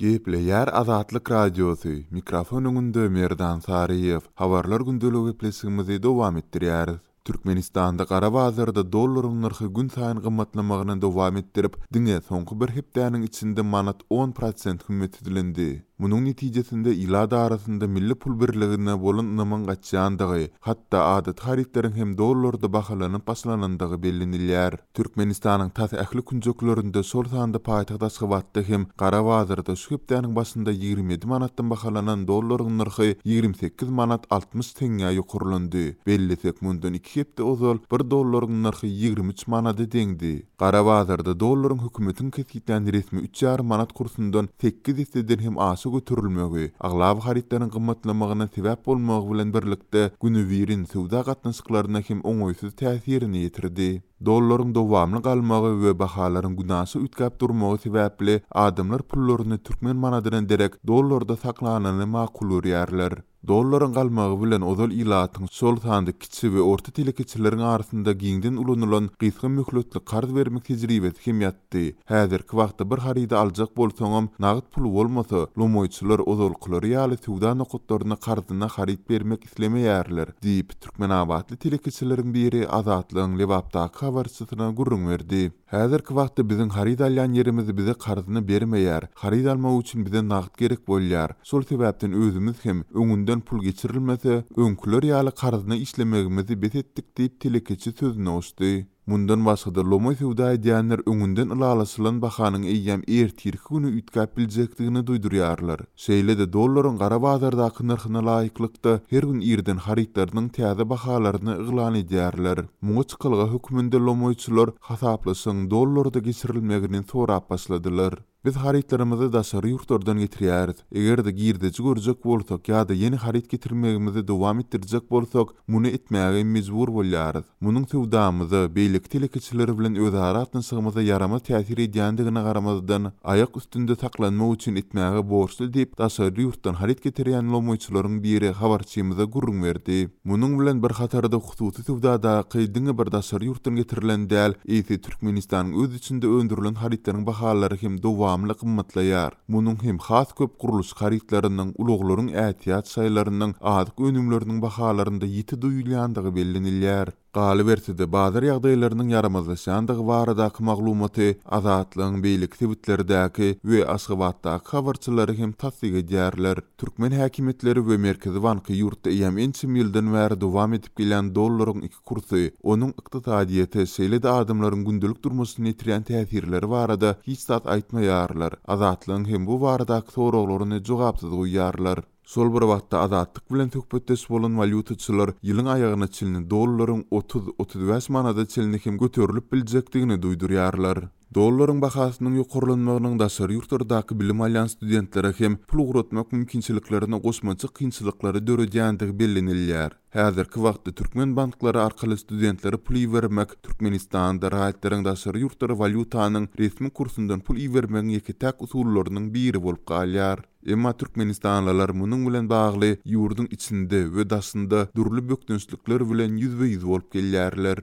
Gepleýär Azatlyk Radiosy, mikrofon öňünde Merdan Saryýew. Habarlar gündeligi gepleşigimizi dowam etdirýäris. Türkmenistanda gara bazarda dollaryň nyrhy günsaýyn gymmatlamagyny dowam etdirip, diňe soňky bir hepdäniň içinde manat 10% hümmetsizlendi. Munuň netijesinde ilat arasynda milli pul birligine bolan ynamyň gaçýandygy, hatda adaty harytlaryň hem dollarda bahalanyp başlanandygy bellenilýär. Türkmenistanyň tas ähli künjeklerinde, şol sanda paýtagt Aşgabatda hem gara bazarda şu hepdäniň başynda 27 manatdan bahalanan dollaryň nyrhy 28 manat 60 teňňä ýokarlandy. Bellesek, mundan iki hepde ozal bir dollaryň nyrhy 23 manada deňdi. Gara bazarda dollaryň hökümetiň kesgitlän resmi üç ýarym manat kursundan sekiz esseden hem aşa göterilmegi, aglaba harytlaryň gymmatlamagyna sebäp bolmagy bilen birlikde, günübirin söwda gatnaşyklaryna hem oňaýsyz täsirini ýetirdi. Dollaryň dowamly galmagy we bahalaryň günaşa üýtgäp durmagy sebäpli adamlar pullaryny türkmen manadyna derek dollarda saklanyny makul görýärler. Dollaryň galmagy bilen ozal ilatyň, şol sanda kiçi we orta telekeçileriň arasynda giňden ulanylan gysga möhletli karz bermek tejribesi hem ýatdy. Häzirki wagtda bir harydy aljak bolsaňam, nagt pul bolmasa, lomaýçylar ozalkylary ýaly söwda nokatlaryna karzyna haryt bermek islemeýärler, diýip, türkmenabatly telekeçileriň biri Azatlygyň Lebapdaky habarçysyna gürrüň berdi. Häzirki wagtda biziň haryt alýan ýerimiz bize karzyna bermeýär. Haryt almak üçin bize nagt gerek bolýar. Şol sebäpden özümiz hem, öňünden pul geçirilmese, öňküler ýaly karzyna işlemegimizi bes etdik diýip, telekeçi sözüne goşdy. Mundan başga-da, lomaý söwda edýänler öňünden ylalaşylan bahanyň eýýäm ertirki güni üýtgäp biljekdigini duýdurýarlar. Şeýle-de, dollaryň gara bazardaky nyrhyna laýyklykda, her gün irden harytlarynyň täze bahalaryny yglan edýärler. Muňa çykalga hökmünde lomaýçylar hasaplaşygyň dollarda geçirilmegini sorap başladylar. Biz harytlarymyzy daşary ýurtlardan getirýäris. Eger-de girdeji görjek bolsak ýa-da ýene haryt getirmegimizi dowam etdirjek bolsak, muny etmäge mejbur bolýarys. Munuň söwdamyza, beýleki telekeçiler bilen özara gatnaşygymyza ýaramaz täsir edýändigine garamazdan, aýak üstünde saklanmak üçin etmäge borçly diýip, daşary ýurtdan haryt getirýän lomaýçylaryň biri habarçymyza gürrüň berdi. Munuň bilen bir hatarda hususy söwdadaky diňe bir daşary ýurtdan getirilen däl, eýse Türkmenistanyň öz içinde öndürilen harytlaryň bahalary hem dowamly gymmatlaýar. Munuň hem has köp gurluşyk harytlarynyň, ulaglaryň ätiýaç şaýlarynyň, azyk önümleriniň bahalarynda ýiti duýulýandygy bellenilýär. Galyberse-de, bazar ýagdaýlarynyň ýaramazlaşýandygy baradaky maglumaty Azatlygyň beýleki sebitlerdäki we Aşgabatdaky habarçylary hem tassyk edýärler. Türkmen häkimiýetleri we Merkezi banky ýurtda eýýäm ençeme ýyldan bäri dowam edip gelýän dollaryň iki kursy, onuň ykdysadyýete, şeýle-de adamlaryň gündelik durmuşyna ýetirýän täsirleri barada hiç zat aýtmaýarlar, Azatlygyň hem bu baradaky soraglaryny jogapsyz goýýarlar. Şol bir wagtda, Azatlyk bilen söhbetdeş bolan walýutaçylar ýylyň aýagyna çenli dollaryň 30, 35 manada çenli hem göterilip biljekdigini duýdurýarlar. Dollaryň bahasynyň ýokarlanmagynyň daşary ýurtlardaky bilim alýan studentlere hem pul ugratmak mümkinçiliklerine goşmaça kynçylyklary döredýändigi bellenilýär. Häzirki wagtda türkmen banklary arkaly studentlere pul ibermek Türkmenistanda raýatlaryň daşary ýurtlara walýutanyň resmi kursundan pul ibermegiň ýeke-täk usullarynyň biri bolup galýar. Emma türkmenistanlylar munuň bilen bagly ýurduň içinde we daşynda dürli bökdençlikler bilen ýüzbe-ýüz bolup gelýärler.